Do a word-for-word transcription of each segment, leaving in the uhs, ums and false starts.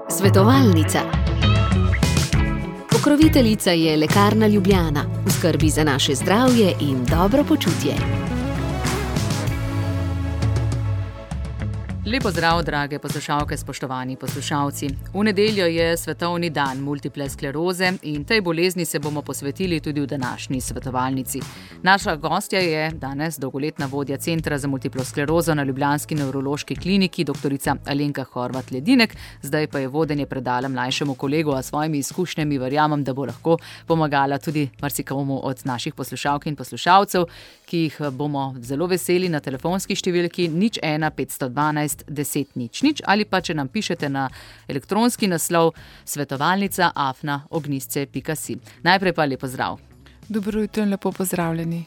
Svetovalnica. Pokroviteljica je Lekarna Ljubljana, v skrbi za naše zdravje in dobro počutje. Lepo zdrav, drage poslušalke, spoštovani poslušalci. V nedeljo je svetovni dan multiple skleroze in tej bolezni se bomo posvetili tudi v današnji svetovalnici. Naša gostja je danes dolgoletna vodja Centra za multiplo sklerozo na ljubljanski nevrološki kliniki, doktorica Alenka Horvat-Ledinek, zdaj pa je vodenje predala mlajšemu kolegu, a svojimi izkušnjami verjamem, da bo lahko pomagala tudi marsikomu od naših poslušalk in poslušalcev, ki jih bomo zelo veseli na telefonski številki nič ena petsto dvanajst deset nič nič ali pa če nam pišete na elektronski naslov svetovalnica afna ognjisce pika si. Najprej pa lepo zdrav. Dobro jutro in lepo pozdravljeni.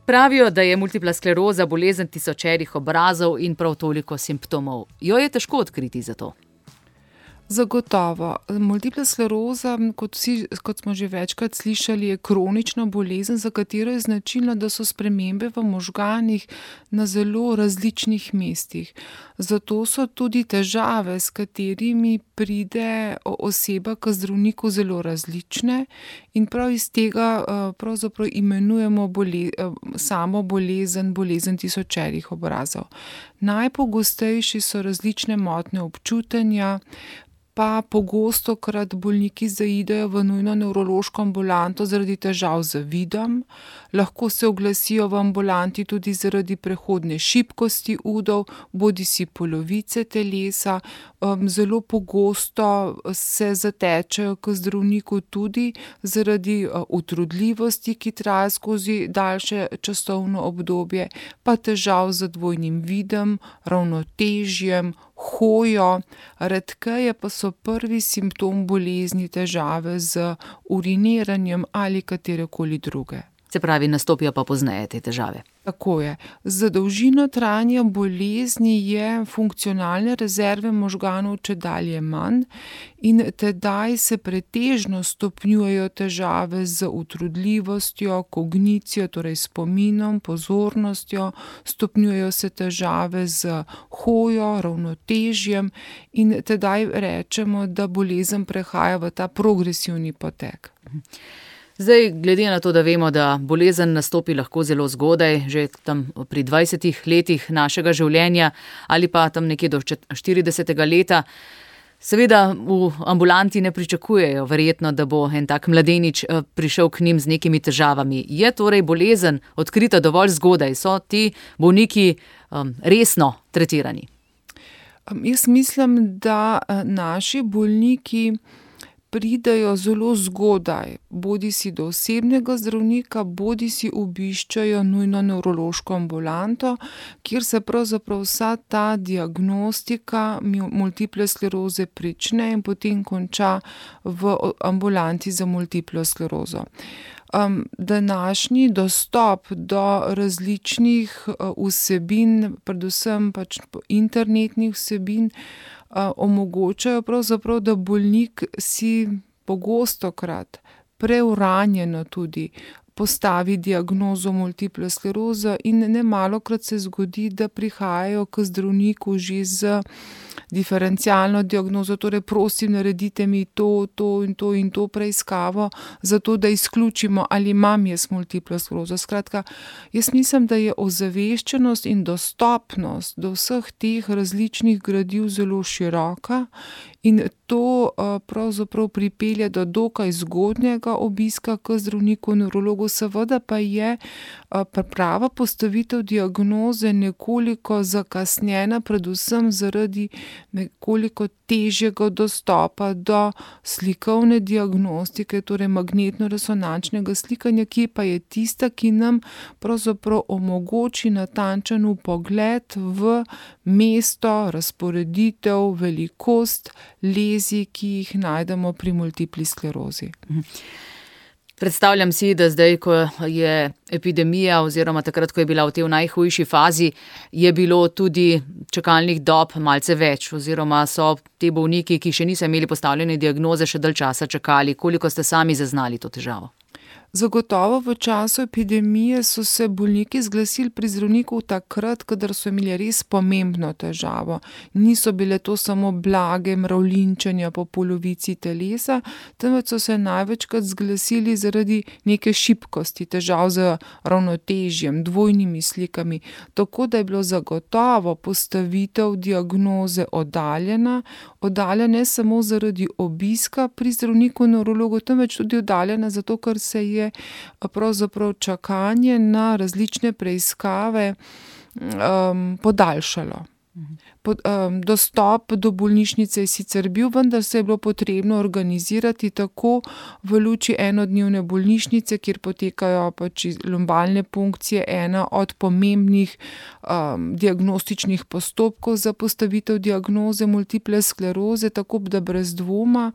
Pravijo, da je multipla skleroza bolezen tisočerih obrazov in prav toliko simptomov. Jo je težko odkriti za to? Zagotovo. Multipla skleroza, kot, vsi, kot smo že večkrat slišali, je kronična bolezen, za katero je značilno, da so spremembe v možganih na zelo različnih mestih. Zato so tudi težave, s katerimi pride oseba k zdravniku, zelo različne in prav iz tega pravzaprav imenujemo bole, samo bolezen, bolezen tisočerih obrazov. Najpogostejši so različne motnje občutenja, pa pogostokrat bolniki zaidejo v nujno nevrološko ambulanto zaradi težav z vidom, lahko se oglasijo v ambulanti tudi zaradi prehodne šibkosti udov, bodisi polovice telesa, zelo pogosto se zatečejo k zdravniku tudi zaradi utrudljivosti, ki traja skozi daljše časovno obdobje, pa težav z dvojnim vidom, ravnotežjem, hojo, redkeje pa so prvi simptom bolezni težave z uriniranjem ali katerekoli druge. Se pravi, nastopijo pa pozneje te težave. Tako je. Z dolžino trajanja bolezni je funkcionalne rezerve možganov čedalje manj in tedaj se pretežno stopnjujejo težave z utrudljivostjo, kognicijo, torej spominom, pozornostjo, stopnjujejo se težave z hojo, ravnotežjem in tedaj rečemo, da bolezen prehaja v ta progresivni potek. Zdaj, glede na to, da vemo, da bolezen nastopi lahko zelo zgodaj, že tam pri dvajsetih letih našega življenja ali pa tam nekje do štiridesetega leta, seveda v ambulanti ne pričakujejo verjetno, da bo en tak mladenič prišel k njim z nekimi težavami. Je torej bolezen odkrita dovolj zgodaj? So ti bolniki um, resno tretirani? Jaz mislim, da naši bolniki pridejo zelo zgodaj, bodi si do osebnega zdravnika, bodi si obiščajo nujno nevrološko ambulanto, kjer se pravzaprav vsa ta diagnostika multiple skleroze prične in potem konča v ambulanti za multiplo sklerozo. Um, današnji dostop do različnih uh, vsebin, predvsem pač internetnih vsebin, uh, omogočajo pravzaprav, da bolnik si pogostokrat preuranjeno tudi postavi diagnozo multiple skleroze in nemalokrat se zgodi, da prihajajo k zdravniku že z diferencialno diagnozo, torej prosim, naredite mi to, to in to in to preiskavo, zato da izključimo, ali imam jaz multiplo sklerozo. Skratka, jaz mislim, da je ozaveščenost in dostopnost do vseh teh različnih gradiv zelo široka in to pravzaprav pripelje do dokaj zgodnjega obiska k zdravniku nevrologu, seveda pa je prava postavitev diagnoze nekoliko zakasnjena, predvsem zaradi nekoliko težjega dostopa do slikovne diagnostike, torej magnetno-resonančnega slikanja, ki pa je tista, ki nam pravzaprav omogoči natančen vpogled v mesto, razporeditev, velikost lezij, ki jih najdemo pri multipli sklerozi. Predstavljam si, da zdaj, ko je epidemija oziroma takrat, ko je bila v tej najhujši fazi, je bilo tudi čakalnih dob malce več oziroma so te bolniki, ki še niso imeli postavljene diagnoze, še dalj časa čakali. Koliko ste sami zaznali to težavo? Zagotovo v času epidemije so se bolniki zglasili pri zdravniku takrat, kadar so imeli res pomembno težavo. Niso bile to samo blage mravljinčenja po polovici telesa, temveč so se največkrat zglasili zaradi neke šibkosti, težav z ravnotežjem, dvojnimi slikami. Tako da je bilo zagotovo postavitev diagnoze oddaljena, oddaljena ne samo zaradi obiska pri zdravniku nevrologu, temveč tudi oddaljena zato, ker se je pravzaprav čakanje na različne preiskave um, podaljšalo. Pod, um, dostop do bolnišnice je sicer bil, vendar se je bilo potrebno organizirati tako v luči enodnevne bolnišnice, kjer potekajo pač lumbalne punkcije, ena od pomembnih um, diagnostičnih postopkov za postavitev diagnoze multiple skleroze, tako da brez dvoma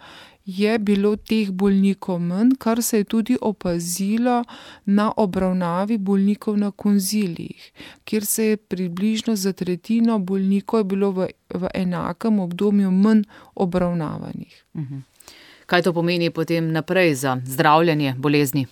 je bilo teh bolnikov manj, kar se je tudi opazilo na obravnavi bolnikov na konzilijih, kjer se je približno za tretjino bolnikov je bilo v, v enakem obdobju manj obravnavanih. Mhm. Kaj to pomeni potem naprej za zdravljenje bolezni?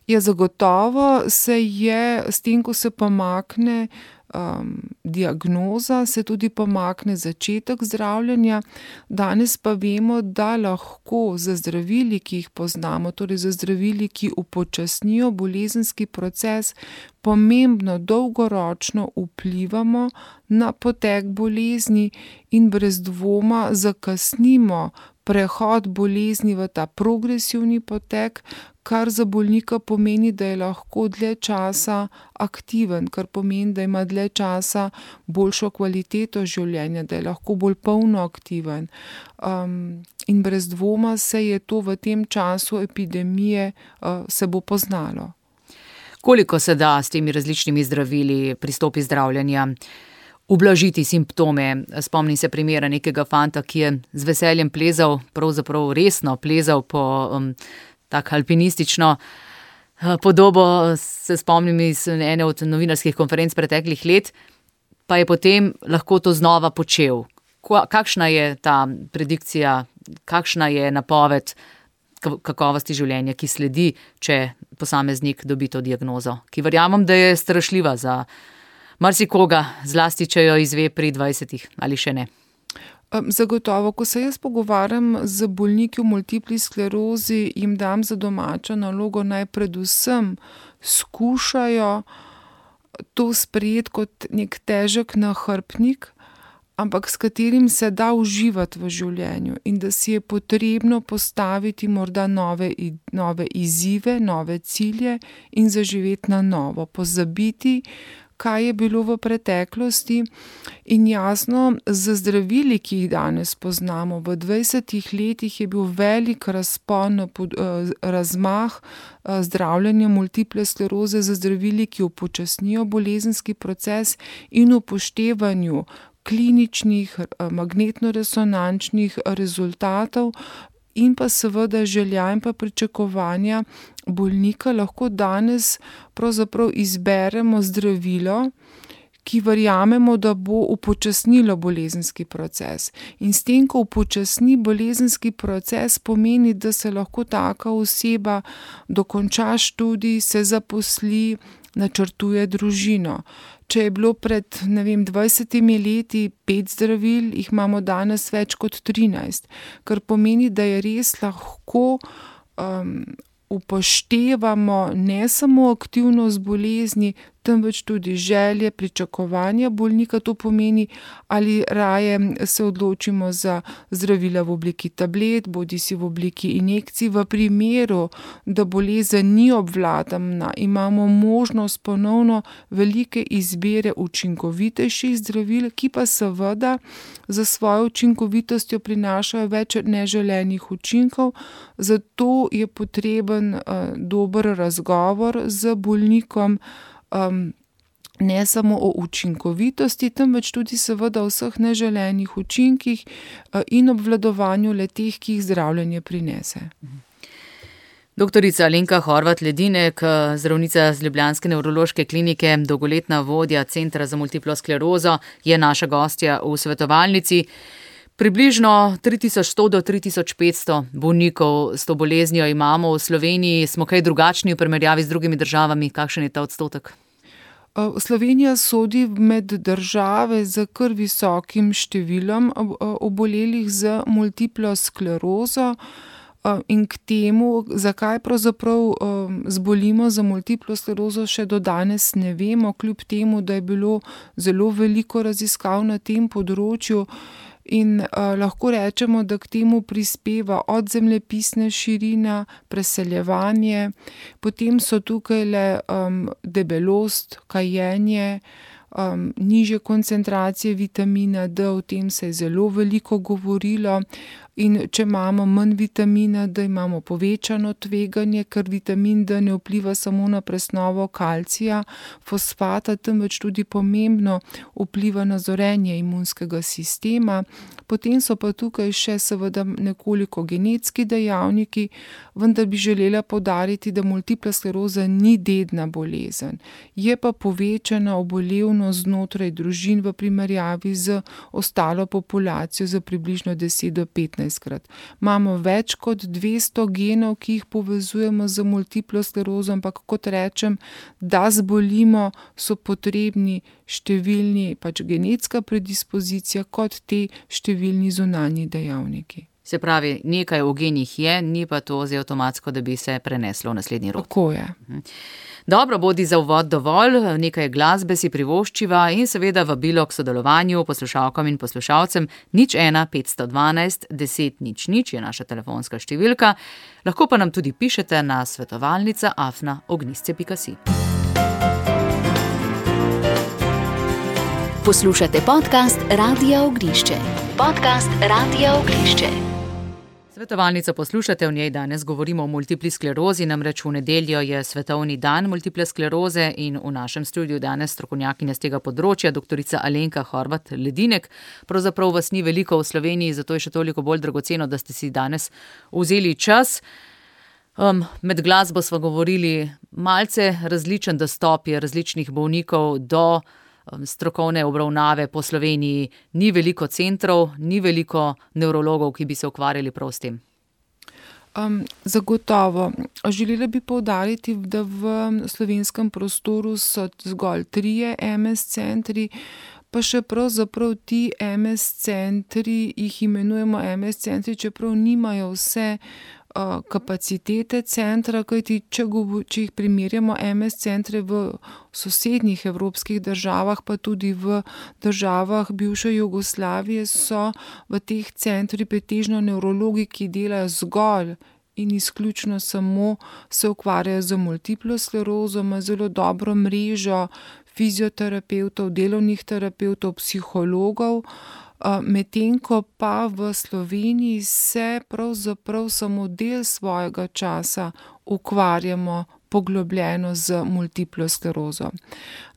Ja, zagotovo se je s tem, ko se pomakne Um, diagnoza, se tudi pomakne začetek zdravljenja. Danes pa vemo, da lahko za zdravili, ki jih poznamo, torej za zdravili, ki upočasnijo bolezenski proces, pomembno dolgoročno vplivamo na potek bolezni in brez dvoma zakasnimo prehod bolezni v ta progresivni potek, kar za bolnika pomeni, da je lahko dlje časa aktiven, kar pomeni, da ima dlje časa boljšo kvaliteto življenja, da je lahko bolj polno aktiven. Um, in brez dvoma se je to v tem času epidemije uh, se bo poznalo. Koliko se da s temi različnimi zdravili pristopi zdravljenja ublažiti simptome? Spomnim se primera nekega fanta, ki je z veseljem plezal, pravzaprav resno plezal po um, tak alpinistično podobo, se spomnim iz ene od novinarskih konferenc preteklih let, pa je potem lahko to znova počel. Kakšna je ta predikcija, kakšna je napoved kakovosti življenja, ki sledi, če posameznik dobi to diagnozo, ki verjamem, da je strašljiva za marsikoga, zlasti če jo izve pri dvajsetih ali še ne. Zagotovo, ko se jaz pogovarjam z bolniki v multipli sklerozi, jim dam za domačo nalogo naj predvsem skušajo to sprejeti kot nek težek nahrbtnik, ampak s katerim se da uživati v življenju in da si je potrebno postaviti morda nove, nove izzive, nove cilje in zaživeti na novo, pozabiti, kaj je bilo v preteklosti in jasno, z zdravili, ki jih danes poznamo, v dvajsetih letih je bil velik razpon, razmah zdravljenja multiple skleroze z zdravili, ki upočasnijo bolezenski proces in upoštevanju kliničnih, magnetno-resonančnih rezultatov in pa seveda želja in pa pričakovanja bolnika lahko danes pravzaprav izberemo zdravilo, ki verjamemo, da bo upočasnilo bolezenski proces. In s tem, ko upočasni bolezenski proces, pomeni, da se lahko taka oseba dokonča študij, se zaposli, načrtuje družino. Če je bilo pred, ne vem, dvajsetimi leti pet zdravil, jih imamo danes več kot trinajst, kar pomeni, da je res lahko um, upoštevamo ne samo aktivnost bolezni, temveč tudi želje, pričakovanja bolnika. To pomeni, ali raje se odločimo za zdravila v obliki tablet, bodisi v obliki injekcij. V primeru, da bolezen ni obvladana, imamo možnost ponovno velike izbire učinkovitejših zdravil, ki pa seveda za svojo učinkovitostjo prinašajo več neželenih učinkov. Zato je potreben uh, dober razgovor z bolnikom, Um, ne samo o učinkovitosti, temveč tudi seveda o vseh neželenih učinkih uh, in obvladovanju le-teh, ki jih zdravljenje prinese. Doktorica Alenka Horvat Ledinek, zdravnica z ljubljanske nevrološke klinike, dolgoletna vodja Centra za multiplo sklerozo, je naša gostja v svetovalnici. Približno tri tisoč sto do tri tisoč petsto bolnikov s to boleznijo imamo v Sloveniji. Smo kaj drugačni v primerjavi z drugimi državami? Kakšen je ta odstotek? Slovenija sodi med države z kar visokim številom obolelih z multiplo sklerozo. In k temu, zakaj pravzaprav zbolimo za multiplo sklerozo, še do danes ne vemo, kljub temu, da je bilo zelo veliko raziskav na tem področju. In uh, lahko rečemo, da k temu prispeva od zemljepisne širine, preseljevanje, potem so tukaj le um, debelost, kajenje, um, nižje koncentracije vitamina D, o tem se je zelo veliko govorilo. In če imamo manj vitamina D, imamo povečano tveganje, ker vitamin D ne vpliva samo na presnovo kalcija, fosfata, temveč tudi pomembno vpliva na zorenje imunskega sistema. Potem so pa tukaj še seveda nekoliko genetski dejavniki, vendar bi želela poudariti, da multipla skleroza ni dedna bolezen. Je pa povečana obolevnost znotraj družin v primerjavi z ostalo populacijo za približno deset do petnajst krat. Imamo več kot dvesto genov, ki jih povezujemo z multiplo sklerozo, ampak kot rečem, da zbolimo, so potrebni številni pač genetska predispozicija kot te številni zunanji dejavniki. Se pravi, nekaj v genih je, ni pa to zdaj avtomatsko, da bi se preneslo v naslednji rod. Tako je. Dobro, bodi za uvod dovolj, nekaj glasbe si privoščiva in seveda vabilo k sodelovanju poslušalkam in poslušalcem. Nič ena petsto dvanajst deset nič nič je naša telefonska številka. Lahko pa nam tudi pišete na svetovalnica afna ognisce pika si. Poslušate podcast Radia Ognišče. Podcast Radia Ognišče. Svetovalnico poslušate, v njej danes govorimo o multipli sklerozi, namreč v nedeljo je svetovni dan multiple skleroze in v našem studiu danes strokovnjakinja z tega področja, doktorica Alenka Horvat Ledinek. Pravzaprav vas ni veliko v Sloveniji, zato je še toliko bolj dragoceno, da ste si danes vzeli čas. Um, med glasbo smo govorili, malce različen dostop je različnih bolnikov do strokovne obravnave po Sloveniji. Ni veliko centrov, ni veliko nevrologov, ki bi se ukvarjali prav s tem. Um, zagotovo. Želela bi poudariti, da v slovenskem prostoru so zgolj trije M S centri, pa še pravzaprav ti M S centri, jih imenujemo M S centri, čeprav nimajo vse kapacitete centra, kajti če, če jih primerjamo M S centre v sosednjih evropskih državah, pa tudi v državah bivše Jugoslavije, so v teh centrih pretežno nevrologi, ki delajo zgolj in izključno samo se ukvarjajo z multiplo sklerozo, ima zelo dobro mrežo fizioterapevtov, delovnih terapevtov, psihologov. Medtem ko pa v Sloveniji se pravzaprav samo del svojega časa ukvarjamo poglobljeno z multiplo sklerozo.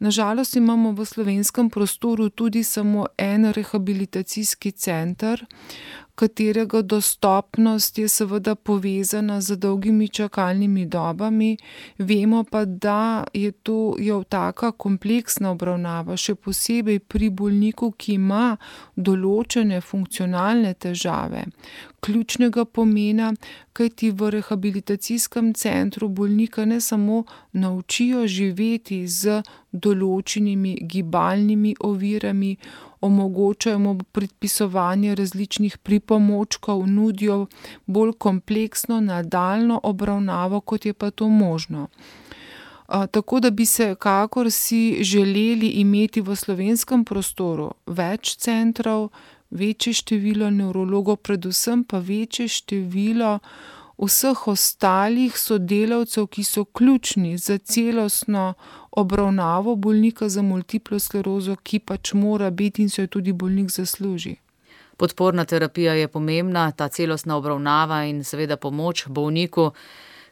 Nažalost imamo v slovenskem prostoru tudi samo en rehabilitacijski center, katerega dostopnost je seveda povezana z dolgimi čakalnimi dobami. Vemo pa, da je to je taka kompleksna obravnava, še posebej pri bolniku, ki ima določene funkcionalne težave, ključnega pomena, kajti v rehabilitacijskem centru bolnika ne samo naučijo živeti z določenimi gibalnimi ovirami, omogočajo mu predpisovanje različnih pripomočkov, nudijo bolj kompleksno nadaljnjo obravnavo, kot je pa to možno. A, tako da bi se kakor si želeli imeti v slovenskem prostoru več centrov, večje število nevrologov, predvsem pa večje število vseh ostalih sodelavcev, ki so ključni za celostno obravnavo bolnika za multiplo sklerozo, ki pač mora biti in se jo tudi bolnik zasluži. Podporna terapija je pomembna, ta celostna obravnava in seveda pomoč bolniku,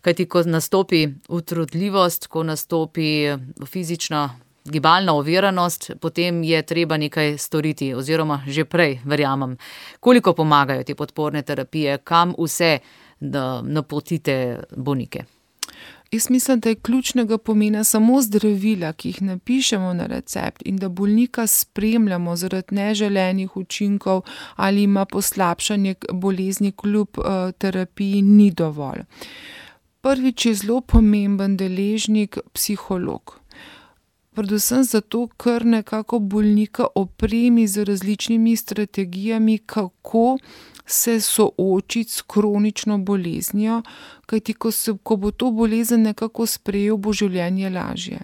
kajti ko nastopi utrudljivost, ko nastopi fizična gibalna oviranost, potem je treba nekaj storiti oziroma že prej, verjamem. Koliko pomagajo te podporne terapije, kam vse da napotite bolnike? Jaz mislim, da je ključnega pomena samo zdravila, ki jih napišemo na recept in da bolnika spremljamo zaradi neželenih učinkov ali ima poslabšanje bolezni kljub uh, terapiji, ni dovolj. Prvič je zelo pomemben deležnik psiholog. Predvsem zato, ker nekako bolnika opremi z različnimi strategijami, kako se soočiti s kronično boleznijo, kajti ko, se, ko bo to bolezen nekako sprejel, bo življenje lažje.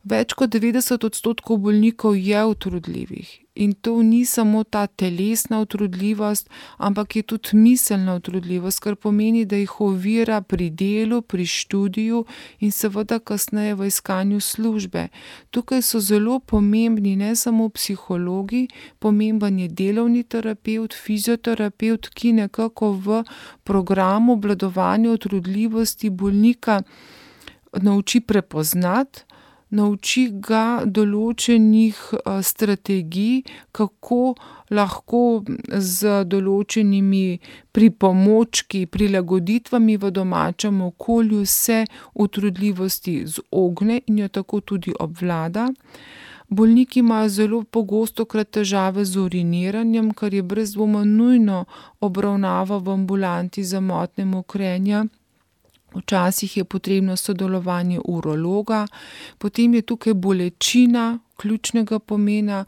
Več kot devetdeset odstotkov bolnikov je utrudljivih in to ni samo ta telesna utrudljivost, ampak je tudi miselna utrudljivost, kar pomeni, da jih ovira pri delu, pri študiju in seveda kasneje v iskanju službe. Tukaj so zelo pomembni ne samo psihologi, pomemben je delovni terapevt, fizioterapevt, ki nekako v programu obvladovanja utrudljivosti bolnika nauči prepoznati, nauči ga določenih strategij, kako lahko z določenimi pripomočki, prilagoditvami v domačem okolju se utrudljivosti izogne in jo tako tudi obvlada. Bolniki imajo zelo pogostokrat težave z uriniranjem, kar je brez dvoma nujno obravnava v ambulanti za motnje mokrenja. Včasih je potrebno sodelovanje urologa, potem je tukaj bolečina ključnega pomena.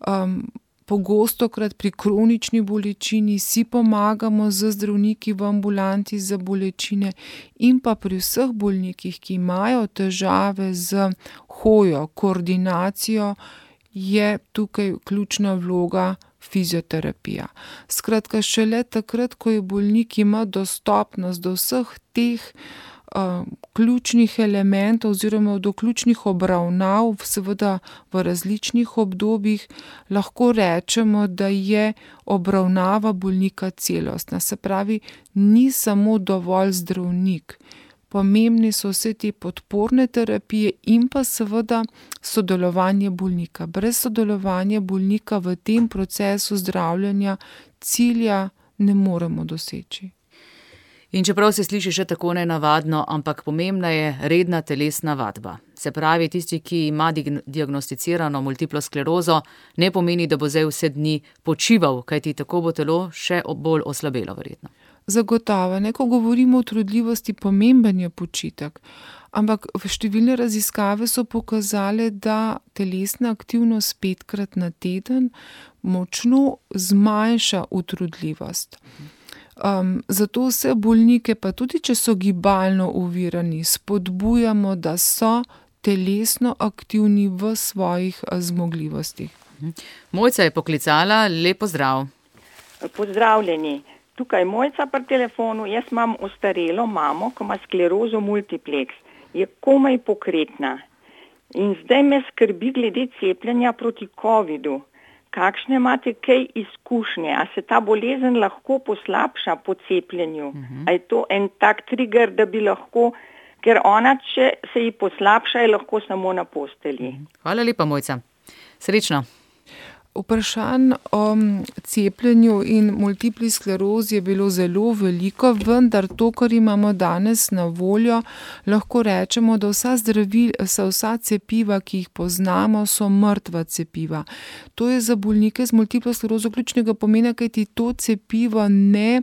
Um, pogostokrat pri kronični bolečini si pomagamo z zdravniki v ambulanti za bolečine in pa pri vseh bolnikih, ki imajo težave z hojo, koordinacijo, je tukaj ključna vloga fizioterapija. Skratka, šele takrat, ko je bolnik ima dostopnost do vseh teh uh, ključnih elementov oziroma do ključnih obravnav, seveda v različnih obdobjih, lahko rečemo, da je obravnava bolnika celostna. Se pravi, ni samo dovolj zdravnik. Pomembni so vse te podporne terapije in pa seveda sodelovanje bolnika. Brez sodelovanja bolnika v tem procesu zdravljenja cilja ne moremo doseči. In čeprav se sliši še tako nenavadno, ampak pomembna je redna telesna vadba. Se pravi, tisti, ki ima diagnosticirano multiplo sklerozo, ne pomeni, da bo zdaj vse dni počival, kajti tako bo telo še bolj oslabelo verjetno. Zagotovo, ne, ko govorimo o utrudljivosti, pomemben je počitek, ampak številne raziskave so pokazale, da telesna aktivnost petkrat na teden močno zmanjša utrudljivost. Um, zato vse bolnike, pa tudi če so gibalno ovirani, spodbujamo, da so telesno aktivni v svojih zmogljivostih. Mojca je poklicala, lep pozdrav. Pozdravljeni. Tukaj Mojca pri telefonu, jaz imam ostarelo mamo, ki ima sklerozo multiplex, je komaj pokretna. In zdaj me skrbi glede cepljenja proti covidu. Kakšne imate kaj izkušnje? A se ta bolezen lahko poslabša po cepljenju? Uh-huh. A je to en tak trigger, da bi lahko, ker ona, če se ji poslabša, je lahko samo na postelji. Uh-huh. Hvala lepa, Mojca. Srečno. Vprašanj o cepljenju in multipli sklerozi je bilo zelo veliko, vendar to, kar imamo danes na voljo, lahko rečemo, da vsa zdravila, vsa cepiva, ki jih poznamo, so mrtva cepiva. To je za bolnike z multiplo sklerozo ključnega pomena, kajti to cepivo ne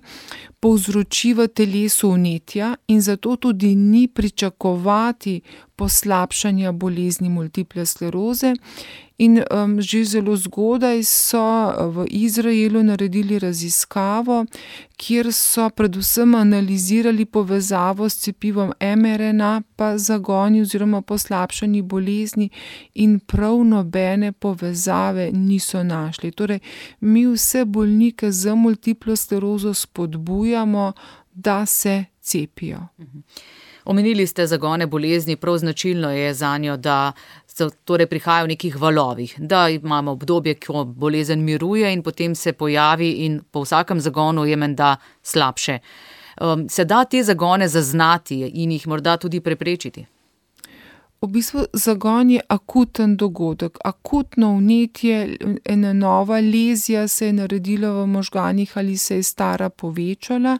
povzroči v telesu vnetja in zato tudi ni pričakovati poslabšanja bolezni multiple skleroze. In um, že zelo zgodaj so v Izraelu naredili raziskavo, kjer so predvsem analizirali povezavo s cepivom em er en a pa zagoni oziroma poslabšanji bolezni in prav nobene povezave niso našli. Torej, mi vse bolnike z multiplo sklerozo spodbujamo, da se cepijo. Omenili ste zagone bolezni, prav značilno je zanjo, da so, torej prihajajo v nekih valovih, da imamo obdobje, ko bolezen miruje in potem se pojavi in po vsakem zagonu je menda slabše. Um, se da te zagone zaznati in jih morda tudi preprečiti? V bistvu zagon je akuten dogodek, akutno vnetje, ena nova lezija se je naredila v možganih ali se je stara povečala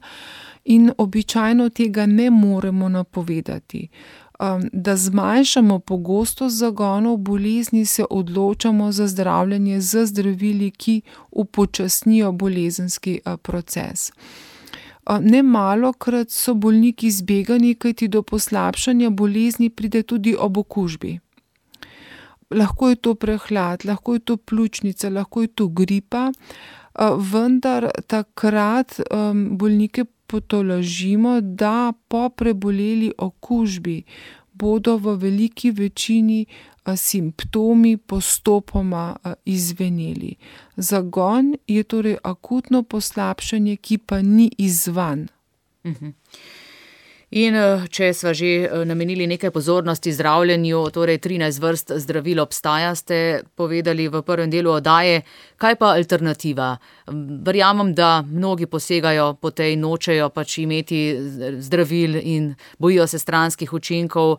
in običajno tega ne moremo napovedati. Da zmanjšamo pogostost zagonov bolezni, se odločamo za zdravljenje z zdravili, ki upočasnijo bolezenski proces. Nemalokrat so bolniki zbegani, kajti do poslabšanja bolezni pride tudi ob okužbi. Lahko je to prehlad, lahko je to pljučnica, lahko je to gripa, vendar takrat bolnike potolažimo, da po preboleli okužbi bodo v veliki večini simptomi postopoma izveneli. Zagon je torej akutno poslabšanje, ki pa ni izzvan. Mhm. In če sva že namenili nekaj pozornosti zdravljenju, torej trinajst vrst zdravil obstaja, ste povedali v prvem delu oddaje, kaj pa alternativa? Verjamem, da mnogi posegajo po tej, nočejo pač imeti zdravil in bojijo se stranskih učinkov.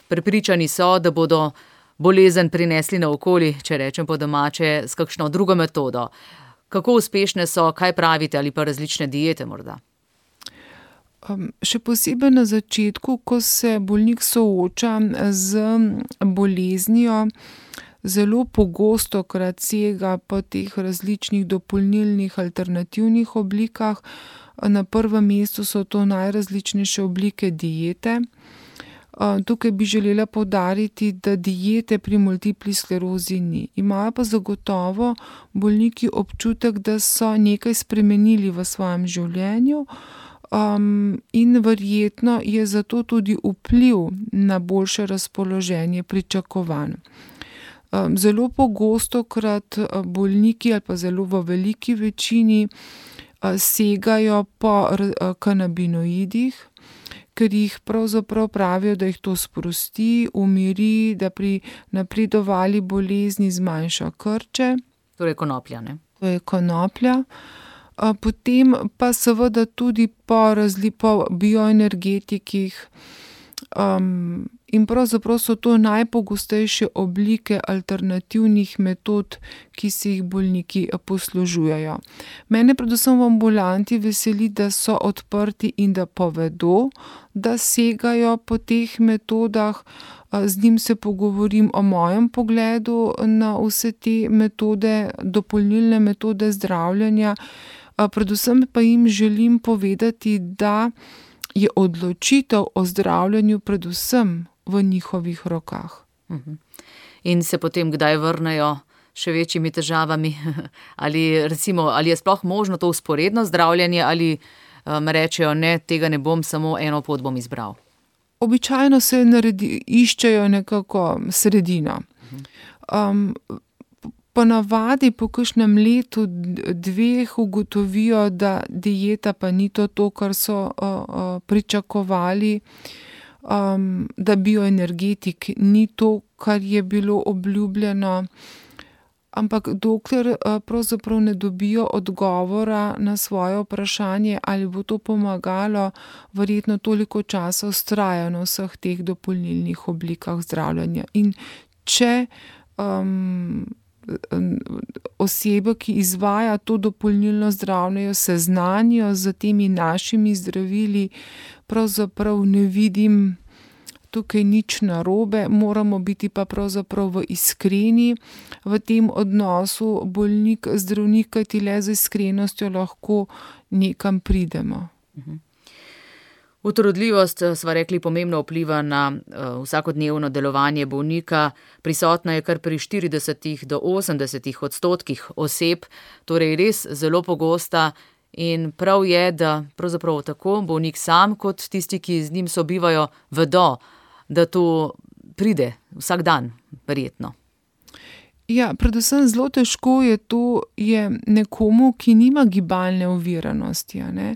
Prepričani so, da bodo bolezen prinesli naokoli, če rečem po domače, s kakšno drugo metodo. Kako uspešne so, kaj pravite, ali pa različne diete morda? Um, še posebej na začetku, ko se bolnik sooča z boleznijo, zelo pogosto krat sega po teh različnih dopolnilnih alternativnih oblikah. Na prvem mestu so to najrazličnejše oblike diete. Uh, tukaj bi želela poudariti, da diete pri multipli sklerozi ni. Imajo pa zagotovo bolniki občutek, da so nekaj spremenili v svojem življenju. Um, in verjetno je zato tudi vpliv na boljše razpoloženje pričakovan. Um, zelo pogosto krat bolniki ali pa zelo v veliki večini uh, segajo po uh, kanabinoidih, ker jih pravzaprav pravijo, da jih to sprosti, umiri, da pri napredovali bolezni zmanjša krče. Torej konoplja, ne? To je konoplja. Potem pa seveda tudi po, razli, po bioenergetikih um, in pravzaprav so to najpogostejše oblike alternativnih metod, ki se jih bolniki poslužujejo. Mene predvsem v ambulanti veseli, da so odprti in da povedo, da segajo po teh metodah. Z njim se pogovorim o mojem pogledu na vse te metode, dopolnilne metode zdravljenja. Predvsem pa jim želim povedati, da je odločitev o zdravljenju predvsem v njihovih rokah. In se potem kdaj vrnejo še večjimi težavami? Ali recimo, ali je sploh možno to vzporedno zdravljenje, ali um, rečejo, ne, tega ne bom, samo eno pot bom izbral? Običajno se naredi, iščejo nekako sredino. Um, Ponavadi po kakšnem letu, dveh ugotovijo, da dieta pa ni to, to kar so uh, uh, pričakovali, um, da bioenergetik ni to, kar je bilo obljubljeno. Ampak dokler uh, pravzaprav ne dobijo odgovora na svoje vprašanje, ali bo to pomagalo, verjetno toliko časa vztrajajo na vseh teh dopolnilnih oblikah zdravljenja. In če um, osebe, ki izvaja to dopolnilno zdravljenje, seznanijo z temi našimi zdravili, pravzaprav ne vidim tukaj nič narobe, moramo biti pa pravzaprav v iskreni v tem odnosu bolnik-zdravnik, kajti le z iskrenostjo lahko nekam pridemo. Mhm. Utrudljivost, sva rekli, pomembno vpliva na uh, vsakodnevno delovanje bolnika. Prisotna je kar pri štiridesetih do osemdesetih odstotkih oseb, torej res zelo pogosta, in prav je, da pravzaprav tako bolnik sam kot tisti, ki z njim sobivajo, vedo, da to pride vsak dan, verjetno. Ja, predvsem zelo težko je to je nekomu, ki nima gibalne oviranosti, a ne?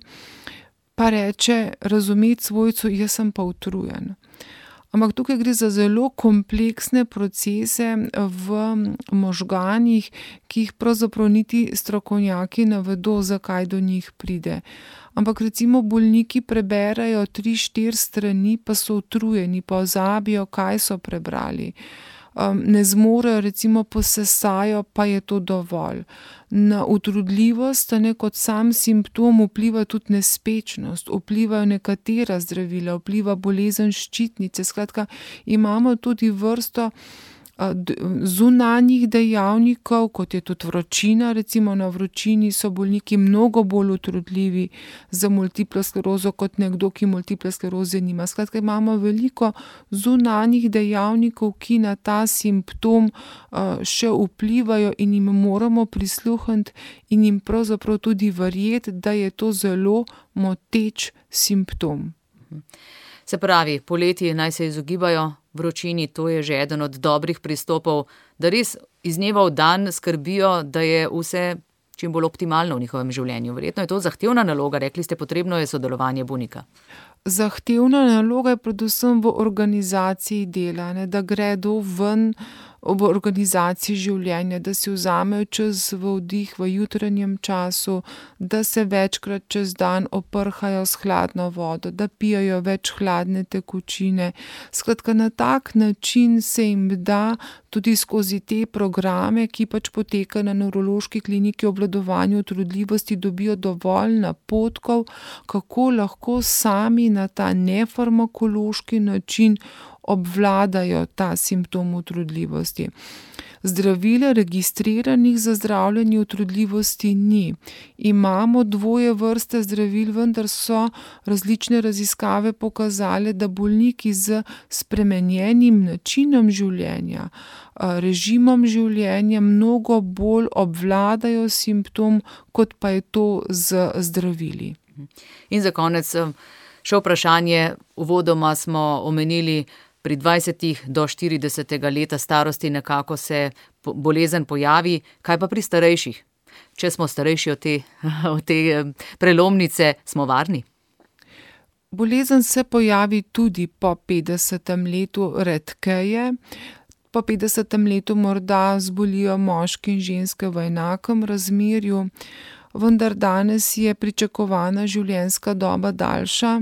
Pa reče, razumeti svojcu, jaz sem pa utrujen. Ampak tukaj gre za zelo kompleksne procese v možganih, ki jih pravzaprav niti strokovnjaki ne vedo, zakaj do njih pride. Ampak recimo bolniki preberejo tri, štiri strani, pa so utrujeni, pozabijo, kaj so prebrali. Um, ne zmorejo, recimo posesajo, pa je to dovolj. Na utrudljivost, ne, kot sam simptom vpliva tudi nespečnost, vplivajo nekatera zdravila, vpliva bolezen ščitnice. Skratka, imamo tudi vrsto zunanjih dejavnikov, kot je tudi vročina, recimo na vročini so bolniki mnogo bolj utrudljivi za multiplo sklerozo kot nekdo, ki multiple skleroze nima. Skratka, imamo veliko zunanjih dejavnikov, ki na ta simptom še vplivajo in jim moramo prisluhniti in jim pravzaprav tudi verjeti, da je to zelo moteč simptom. Se pravi, poleti naj se izogibajo vročini, to je že eden od dobrih pristopov, da res iz dneva v dan skrbijo, da je vse čim bolj optimalno v njihovem življenju. Verjetno je to zahtevna naloga, rekli ste, potrebno je sodelovanje bolnika. Zahtevna naloga je predvsem v organizaciji dela, ne, da gredo ven v organizaciji življenja, da si vzamejo čas v oddih v jutranjem času, da se večkrat čez dan oprhajo s hladno vodo, da pijajo več hladne tekočine. Skratka, na tak način se jim da tudi skozi te programe, ki pač potekajo na nevrološki kliniki obvladovanja utrudljivosti, dobijo dovolj napotkov, kako lahko sami na ta nefarmakološki način obvladajo ta simptom utrudljivosti. Zdravil registriranih za zdravljenje utrudljivosti ni. Imamo dvoje vrste zdravil, vendar so različne raziskave pokazale, da bolniki z spremenjenim načinom življenja, režimom življenja mnogo bolj obvladajo simptom, kot pa je to z zdravili. In za konec še vprašanje, uvodoma smo omenili, pri dvajsetih do štiridesetega leta starosti nekako se bolezen pojavi, kaj pa pri starejših? Če smo starejši od te, od te prelomnice, smo varni? Bolezen se pojavi tudi po petdesetem letu redkeje. Po petdesetem letu morda zbolijo moški in ženske v enakem razmerju, vendar danes je pričakovana življenjska doba daljša,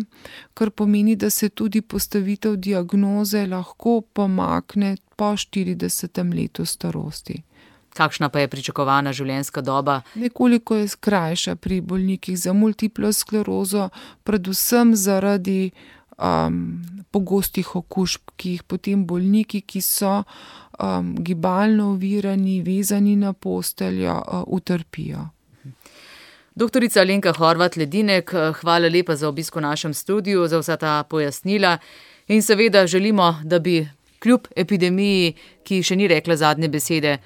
kar pomeni, da se tudi postavitev diagnoze lahko pomakne po štiridesetem letu starosti. Kakšna pa je pričakovana življenjska doba? Nekoliko je krajša pri bolnikih za multiplo sklerozo, predvsem zaradi um, pogostih okužb, ki jih potem bolniki, ki so um, gibalno ovirani, vezani na posteljo, uh, utrpijo. Doktorica Alenka Horvat Ledinek, hvala lepa za obisk v našem studiu, za vsa ta pojasnila in seveda želimo, da bi kljub epidemiji, ki še ni rekla zadnje besede,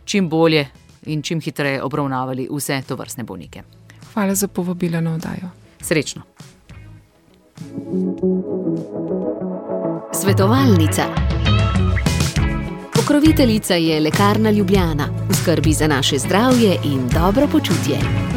čim bolje in čim hitreje obravnavali vse tovrstne bolnike. Hvala za povabilo na oddajo. Srečno. Svetovalnica. Pokroviteljica je Lekarna Ljubljana, v skrbi za naše zdravje in dobro počutje.